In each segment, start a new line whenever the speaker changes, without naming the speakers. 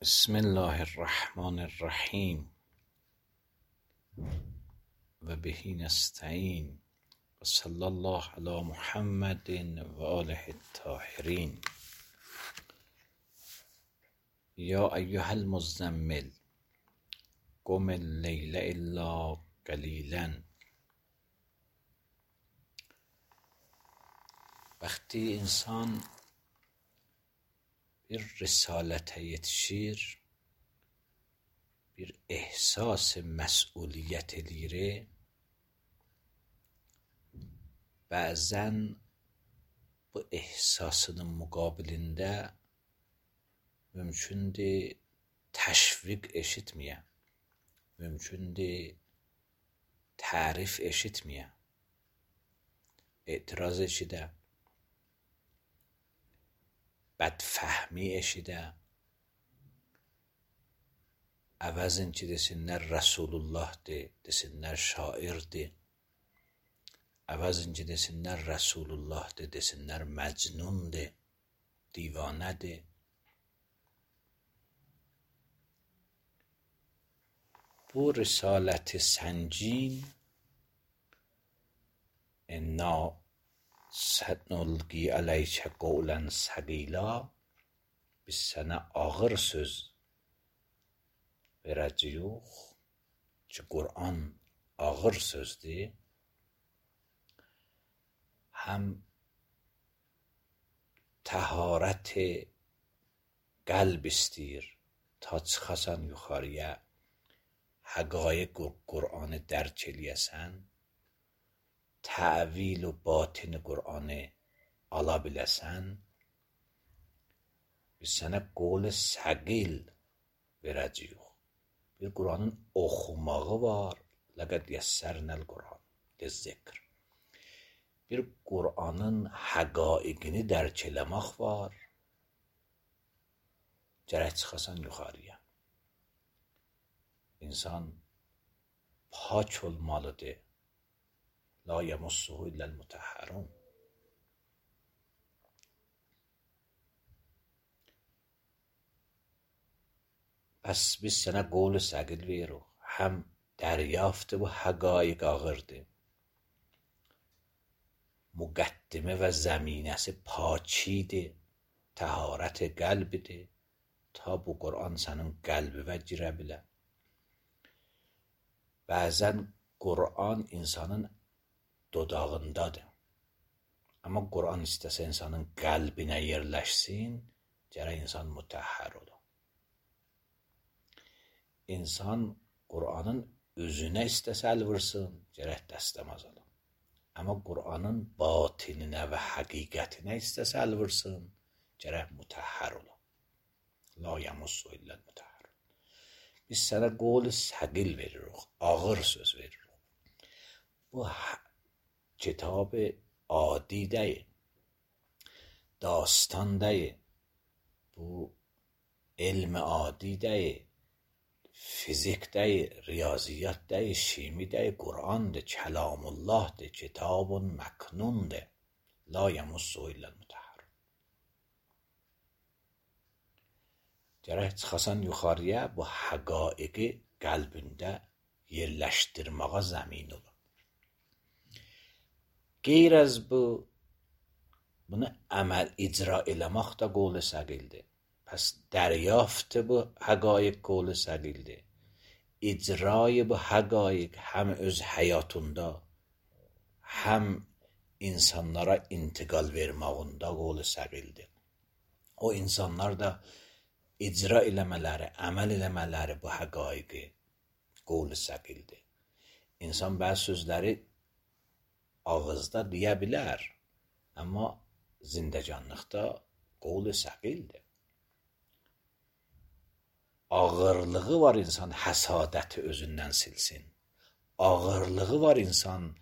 بسم الله الرحمن الرحیم و به نستعین و صلی الله علی محمد و آله الطاهرین. یا ایها المزمل قم اللیل الا قلیلا. وقتی انسان bir risalete yetişir, bir ehsas mesuliyet elire, bazen bu ehsasının mukabilinde mümkündür teşvik eşitmeye, mümkündür tarif eşitmeye, etiraz eşide, بدفهمی eşide, əvəzinci desinlər Rəsulullah desinlər şairdir, əvəzinci desinlər Rəsulullah desinlər məcnundur, divanədir. Bu risaləti səncin inna سنلقی علیک قولا ثقیلا، biz sənə ağır söz verəcəyik ki, Qur'an ağır sözdür. Həm təharət qəlb istəyir ta çıxasan yuxarıya, həqaiq Qur'anı dərk eləyəsən, təvil و باطن Qur'anı ala biləsən. Biz sənə qol səqil verəcəyik. Bir Qur'anın oxumağı var. Ləqəd yəssərnəl Qur'an lizzikr. Bir Qur'anın həqaiqini dərk eləmək var. Gərək çıxasan yuxarıya. İnsan pak olmalıdır. لا یمسه الا المطهرون. پس biz sənə qol səqil veririk. Həm dəryafdır bu həqaiq ağırdır. Müqəddimə və zəminəsi pakidir. Təharət qəlbidir. Ta bu Qur'an sənin qəlbivə girə bilər. Bəzən Qur'an insanın dodağındadır. Amma Qur'an istəsə insanın qəlbinə yerləşsin, gərək insan mütəhhər ola. İnsan Qur'anın özünə istəsə əl vursun, gərək dəstəmaz ola. Amma Qur'anın batininə və həqiqətinə istəsə əl vursun, gərək mütəhhər ola. La yəmussu illəl mütəhhər. Biz sənə qol səqil veririk, ağır söz veririk. Bu کتاب عادی دی، داستان دی، bu علم عادی دی، فیزیک دی، ریاضیات دی، شیمی دی، قرآن دی، کلام الله دی، کتاب مکنون دی، لا یمسه الا المطهر. Gərək çıxasan yuxarıya, bu həqaiqi qəlbində yerləşdirməyə zəmin olur. Qeyr az bunu əməl icra eləmək də qol səqildir. Pəs dəryafت bu həqaiq qol səqildir. İcrayı bu həqaiq həm öz həyatında, həm insanlara intiqal verməyində qol səqildir. O insanlar da icra eləmələri, əməl eləmələri bu həqaiqi qol səqildir. İnsan bəzi sözləri ağızda deyə bilər, amma zindəcanlıqda qol səqildir. Ağırlığı var insan həsadəti özündən silsin. Ağırlığı var insan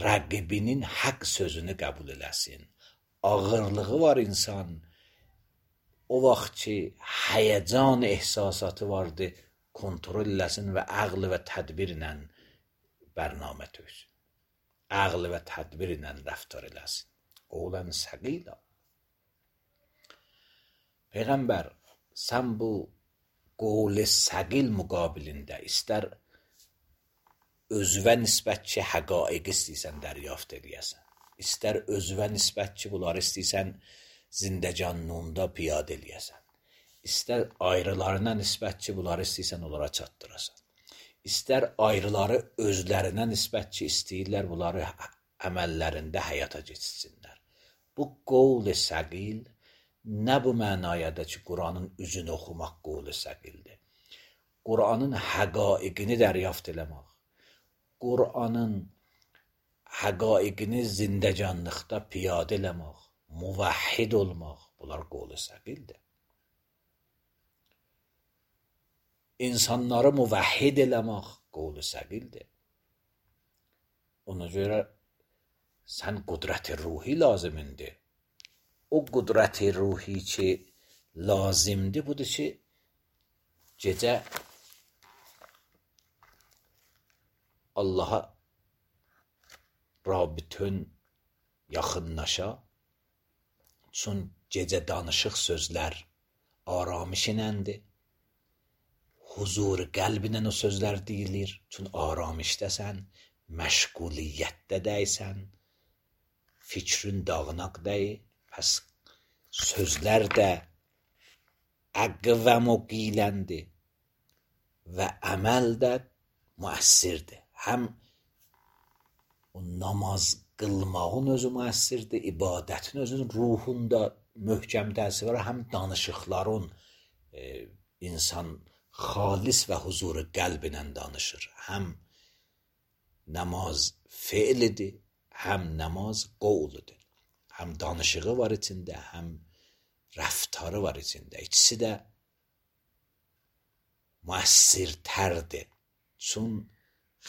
rəqibinin haqq sözünü qəbul eləsin. Ağırlığı var insan o vaxt ki həyəcan ehsasatı vardı, kontrol eləsin və əql və tədbirlə bərnamə töksün. Əql və tədbir ilə rəftar eləsin. Qolən səqila. Peyğəmbər, sən bu qovl səqil müqabilində istər özvə nisbət ki, həqaiq istəyirsən dəryaft edəyəsən, istər özvə nisbət ki, bunları istəyirsən zindəcanlığında piyadə eləyəsən, istər ayrılarına nisbət ki, bunları istəyirsən onlara çatdırasan, istər ayrıları özlərinə nisbət ki, istəyirlər bunları əməllərində həyata keçsinlər. Bu qovl səqil nə bu mənayədə ki, Quranın üzünü oxumaq qovl səqildir. Quranın həqaiqini dəryaft eləmək, Quranın həqaiqini zindəcanlıqda piyadə eləmək, muvahhid olmaq, bunlar qovl səqildir. İnsanları muvahhid eləmək qovl səqildir. Ona görə sən qudrət ruhi lazımındır. O qudrət ruhi ki lazımdır, budur ki, gecə Allaha rabitün yaxınlaşa, çün gecə danışıq sözlər aramış iləndir. Huzur qəlbinə o sözlər deyilir, çün aramışdəsən, məşğuliyyətdə deysən, fikrin dağınaq deyil. Pəs sözlər də əqvəm o qiyləndi və əməl də müəssirdir. Həm o namaz qılmağın özü müəssirdir, ibadətin özünün ruhunda möhkəm təsir var, həm danışıqların insan xalis və huzuru qəlbinə danışır. Həm namaz feilidir, həm namaz qovludur. Həm danışığı var içində, həm rəftarı var içində. İkisi də müəssirtərdir. Çün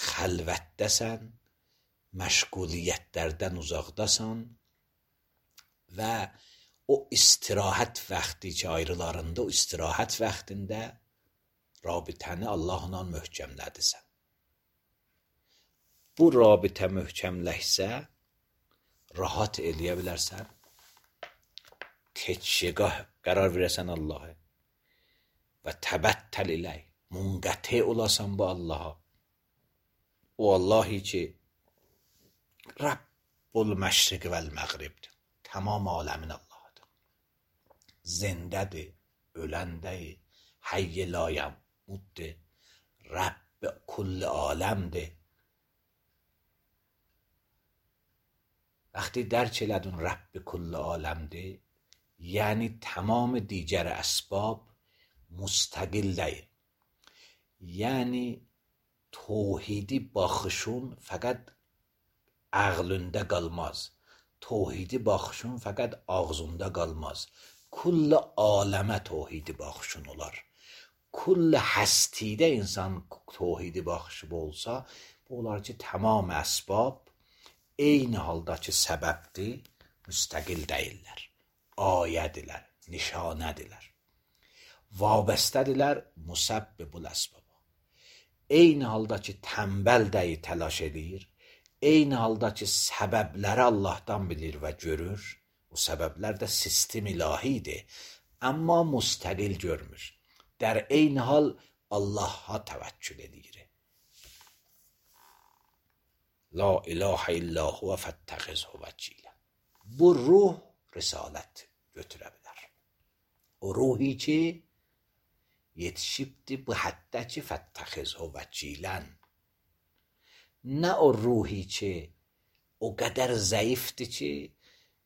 xəlvətdəsən, məşğuliyyətlərdən uzaqdasan və o istirahət vaxtı ki, ayrılarında, o istirahət vaxtında rabitəni Allahla möhkəmlədirsən. Bu rabitə möhkəmləşsə, rahat eləyə bilərsən, teçşigah qərar verəsən Allah'a və təbəttəl iləy, munqəti olasan bu Allah'a. O Allahi ki, Rabbul məşriq vəl məğribdir, tamam aləmin Allah'dır. Zindədir, öləndədir, hayy la yəmuddir, Rabb kulli aləmdir. وقتی درک لدن رب کل عالمده یعنی تمام دیگر اسباب مستقل değil. Yani tevhidi baxışın faqat ağlında qalmaz. Tevhidi baxışın faqat ağzında qalmaz. Kull aləmə tevhidi baxışın olar. Kull həstidə insan tevhidi baxışı olsa, bu olar ki, tamam əsbab eyni haldakı səbəbdir, müstəqil deyirlər. Ayədirlər, nişanədirlər. Vabəstədirlər musabbibul əsbaba. Eyni haldakı tənbəl dəyi təlaş edir, eyni haldakı səbəbləri Allahdan bilir və görür. O səbəblər də sistem ilahidir, amma müstəqil görmür. Dər eyni hal Allah'a təvəkkül edir. La ilahe illa huve fettəxizhu vəkilə. Bu ruh risalət götürə bilər. O ruhi ki, yetişibdir bu həddə ki, fettəxizhu vəkilən. Nə o ruhi ki, o qədər zəifdir ki,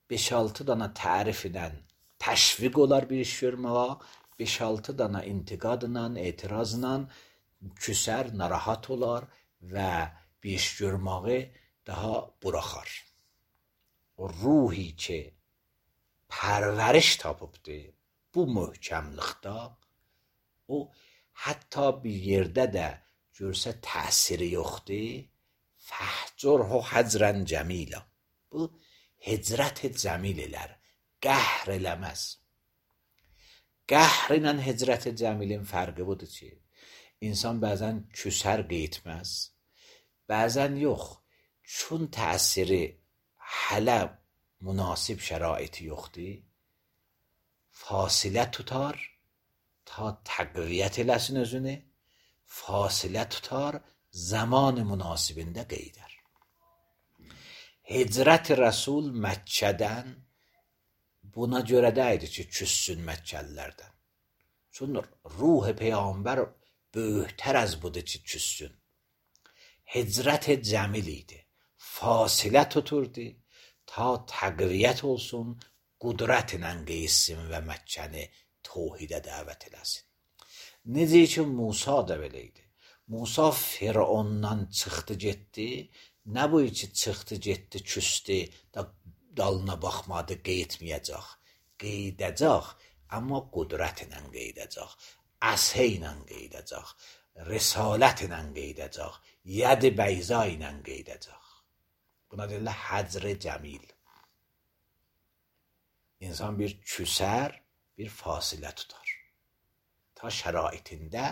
5-6 dana tərif edən təşviq olar bir iş görməyə, 5-6 dana intiqadla, etirazla küsər, narahat olar və bir iş görməyi daha buraxar. O ruhi ki, pərvəriş tapıbdır bu möhkəmlikdə, o hətta bir yerdə də görsə təsiri yoxdur, fəhcurhu həcrən cəmilə. Bu hicrət cəmil elər, qəhr eləməz. Qəhr ilə hicrət cəmilin fərqi budur ki, insan bəzən küsər qeytməz, bəzən yox, çün təsiri hələ münasib şəraiti yoxdur, fasilə tutar ta təqviyyət eləsin özünü, fasilə tutar, zaman münasibində qeydər. Hicrət Rəsul Məkkədən buna görə də idi ki, küssün Məkkəlilərdən. Çünki ruh Peyğəmbər böyüklər az budur ki, küssün. Hicrət cəmil idi. Fasilə tuturdu, ta təqviyyət olsun, qudrətlə qeyssin və Məkkəni توحیده دعوت eləsin. Necə ki Musa da belə idi. Musa Firondan çıxdı getdi. Nə bu ki çıxdı getdi küstü, dalına baxmadı, qeydməyəcək. Qeydəcək, amma qudrətlə qeydəcək. Əsə ilə qeydəcək. Risalətlə qeydəcək. Yəd bəyza ilə qeydəcək. Buna deyirlər həcr cəmil. İnsan bir küsər, bir fasilə tutar. Ta şəraitində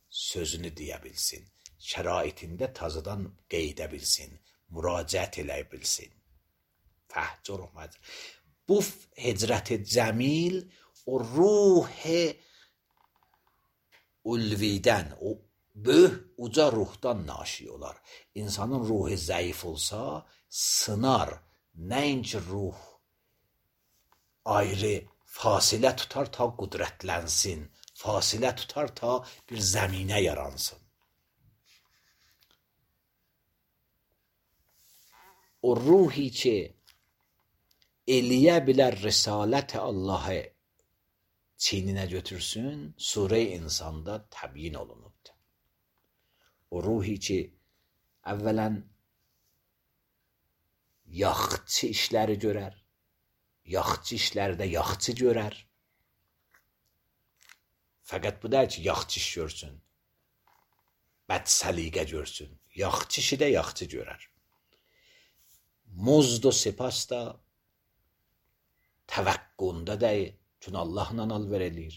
sözünü deyə bilsin. Şəraitində tazıdan qeydə bilsin. Müraciət eləyə bilsin. Fəhcurhum həcr. Bu hicrət-i cəmil o ruh ulvidən, o böyük uca ruhdan naşi olar. İnsanın ruhu zəif olsa, sınar. Nəinki ruh ayrı fasilə tutar ta qudrətlənsin. Fasilə tutar ta bir zəminə yaransın. O ruhi ki eləyə bilər risalət Allah'ı çininə götürsün, Surə-i İnsanda təbyin olunubdur. O ruhi ki əvvələn yaxçı işləri görər, yaxçı işlərdə yaxçı görər. Fəqət bu da ki, yaxçı iş görsün, bəd səliqə görsün. Yaxçı işi də yaxçı görər. Muzd و سپاس da təvəqqunda deyil. Çünki Allahla alver eləyir.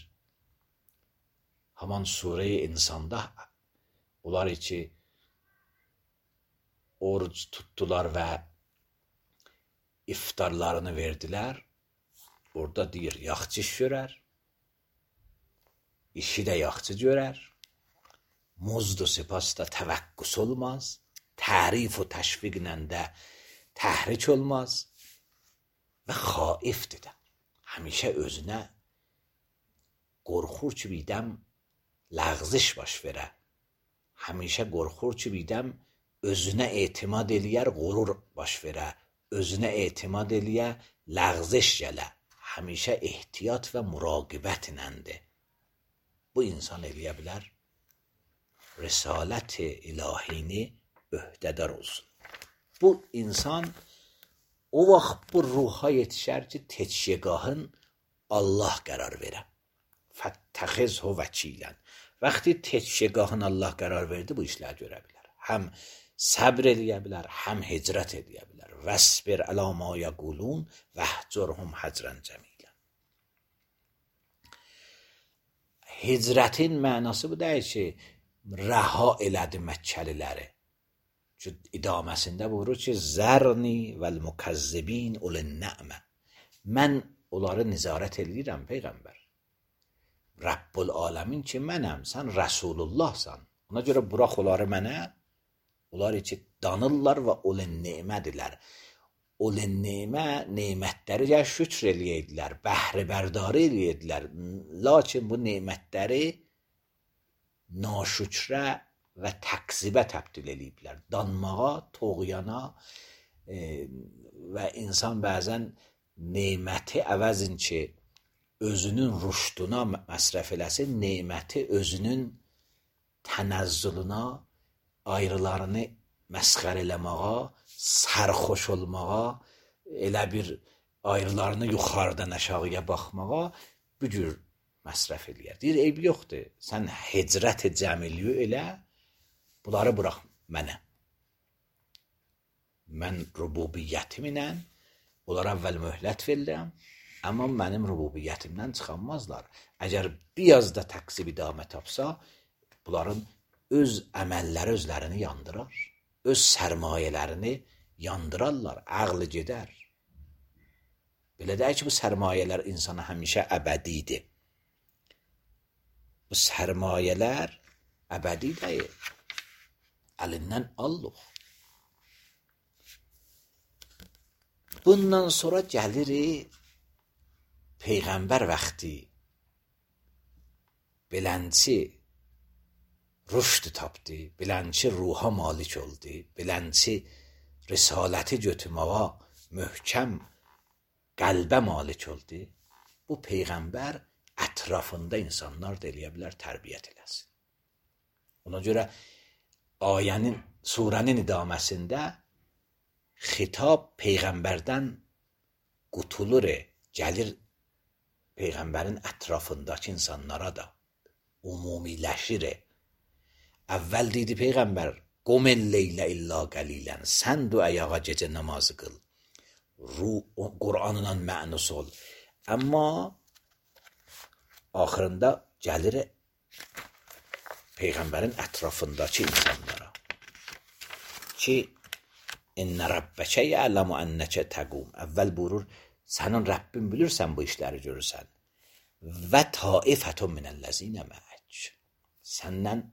Haman Surə-i İnsanda onlar ki oruc tutdular və iftarlarını verdilər. Orada deyir, yaxçı iş görər. İşi də yaxçı görər. Muzd و سپاس da təvəqqüs olmaz. Tərif و təşviqlə də təhrik olmaz. Və xaifdir də. Həmişə özünə qorxur ki, birdən ləğziş baş verə. Həmişə qorxur ki, birdən özünə etimad eləyər, qurur baş verə. Özünə etimad eləyə, ləğziş gələ. Həmişə ehtiyat və müraqibətlədir. Bu insan eləyə bilər, risalət-i ilahini öhdədar olsun. Bu insan o vaxt bu ruha yetişər ki, teçyegahın Allah qərar verə. Fəttəxizhu vəkilən. Vaxtı teçyegahın Allah qərar verdi, bu işlər görə bilər. Həm səbr eləyə bilər, həm hicrət eləyə bilər. Vəsbir ələ ma yəqulun vəhcurhum həcrən cəmilən. Hicrətin mənası bu deyil ki, rəha elədi Məkkəliləri. İdaməsində buyurur ki, zərni vəl-mukəzzibin ulin-nə'mə. Mən onları nizarət edirəm, Peyğəmbər. Rəbbul aləmin ki, mənəm, sən Rəsulullahsan. Ona görə burax onları mənə. Onlar ki, danırlar və ulin-nə'mədirlər. Ulin-nə'mə, neymətləri ya şükr eləyədilər, bəhrəbərdari eləyədilər. Lakin bu neymətləri naşükrə və təqzibə təbdil ediblər. Danmağa, toğyana və insan bəzən neyməti əvəzin ki, özünün rüşduna məsrəf eləsin, neyməti özünün tənəzzüluna, ayrılarını məsxər eləməğa, sərxoş olmağa, elə bir ayrılarını yuxarıdan aşağıya baxmağa bu cür məsrəf eləyər. Deyir, eyb yoxdur, sən hicrət-i cəmiliyi elə, bunları burax mənə. Mən rububiyyətimlə onlara əvvəl möhlət verirəm, amma mənim rububiyyətimdən çıxanmazlar. Əgər biraz da təqsib idamə tapsa, bunların öz əməlləri özlərini yandırar, öz sərmayələrini yandırarlar, əqli gedər. Belə deyək ki, bu sərmayələr insana həmişə əbədidir. bu sərmayələr əbədi deyil. Əlindən alıq. Bundan sonra gəlirik Peyğəmbər vaxtı belənçi rüşd tapdı, belənçi ruha malik oldu, belənçi risaləti götürməyə möhkəm qəlbə malik oldu. Bu Peyğəmbər ətrafında insanlar da eləyə bilər tərbiyyət eləsin. Ona görə ayənin, surənin idaməsində xitab Peyğəmbərdən qutulur, gəlir Peyğəmbərin ətrafındakı insanlara da umumiləşir. Əvvəl deydi Peyğəmbər, qumel leylə illa qəlilən, sən du ayağa gecə namazı qıl, Qur'anla mənus ol. Amma axırında gəlir Peyğəmbərin ətrafındakı insanlara ki, İnnə Rabbəkə ya'ləmu ennəkə təqum. Əvvəl buyurur, sənin Rəbbin bilirsən bu işləri görürsən. Və taifətun minəlləzinə məək. Səndən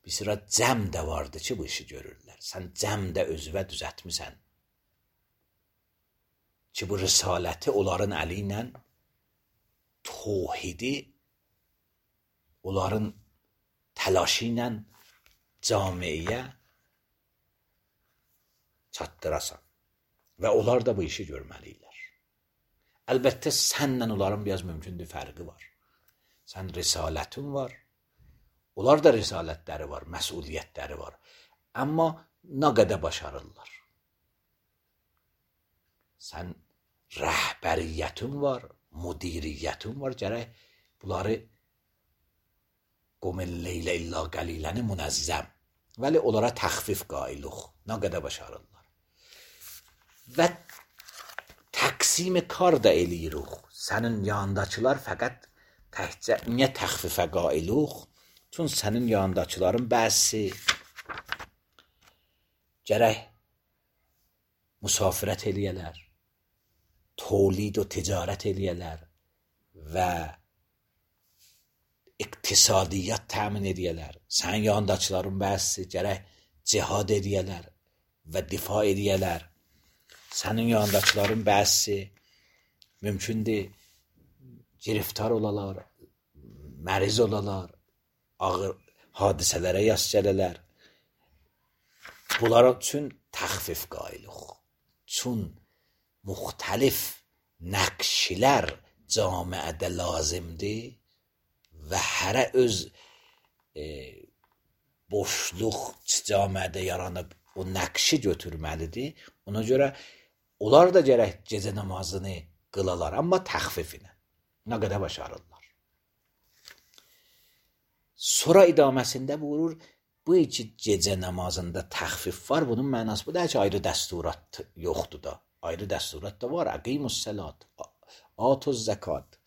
bir sıra cəm də vardı ki, bu işi görürlər. Sən cəmdə özvə düzətmisən ki, bu risaləti onların əli ilə tohidi, onların təlaşı ilə camiyə çatdırasan. Və onlar da bu işi görməliylər. Əlbəttə, sənlə onların biraz mümkündür fərqi var. Sən risalətin var, onlar da risalətləri var, məsuliyyətləri var. Amma nə qədər başarırlar. Sən rəhbəriyyətin var, müdiriyyətin var, gərək bunları qumel leylə illa qəliləni münəzzəm. Vəli onlara təxfif qailuq, nə qədər başarırlar. Və təqsim kar da eləyirik. Sənin yanındakılar fəqət təkcə niyə təxfifə qailuq? Çün sənin yanındakıların bəzi gərək müsafirət eləyələr, tolid və ticarət eləyələr və iqtisadiyyat təmin edəyələr. Sənin yanındakıların bəzi gərək cihad edəyələr və difa edəyələr. Sənin yanındakıların bəzi mümkündür giriftar olalar, məriz olalar, ağır hadisələrə yas gələlər. Bunlar üçün təxfif qailuq. Çün müxtəlif nəqşilər camiədə lazımdır və hərə öz boşluq camiədə yaranıb o nəqşi götürməlidir. Ona görə onlar da gərək gecə namazını qılalar, amma təxfifinə. Nə qədər başarırlar. Sonra idaməsində buyurur, bu iki gecə namazında təxfif var, bunun mənası bu da ki, ayrı dəsturat yoxdur da. Ayrı dəsturat da var. Əqimus səlat, atuz zəkat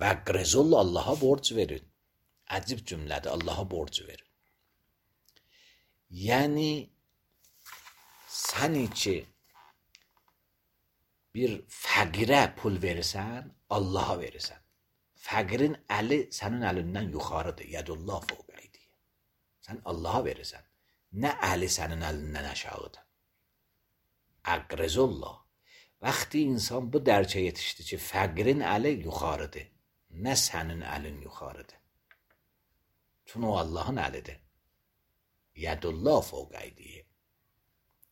və qrizul, Allaha borc verin. Əcib cümlədir, Allaha borc verin. Yəni, sən ki bir fəqirə pul verirsən, Allaha verirsən. Fəqirin əli sənin əlindən yuxarıdır. Yədullah fəqəydir. Sən Allaha verirsən. Nə əli sənin əlindən aşağıdır. Əqrizullah. Vaxtı insan bu dərcə yetişdi ki, fəqirin əli yuxarıdır. Nə sənin əlin yuxarıdır. Çünki o Allahın əlidir. Yədullah fəqəydir.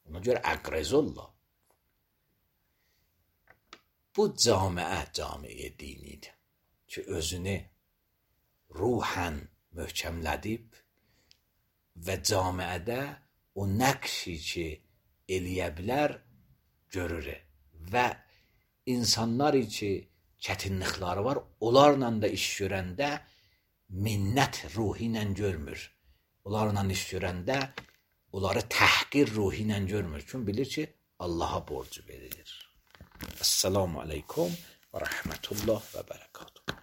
Ona görə əqrizullah. Bu camiə dinidir ki, özünü ruhən möhkəmlədib və camiədə o nəqşi ki, eləyə bilər, görür. Və insanlar ki, çətinlikləri var, onlarla da iş görəndə minnət ruhi ilə görmür. Onlarla iş görəndə onları təhqir ruhi ilə görmür. Çünki bilir ki, Allaha borcu verilir. Esselamu aleykum və rəhmətullah və bərəkatuhu.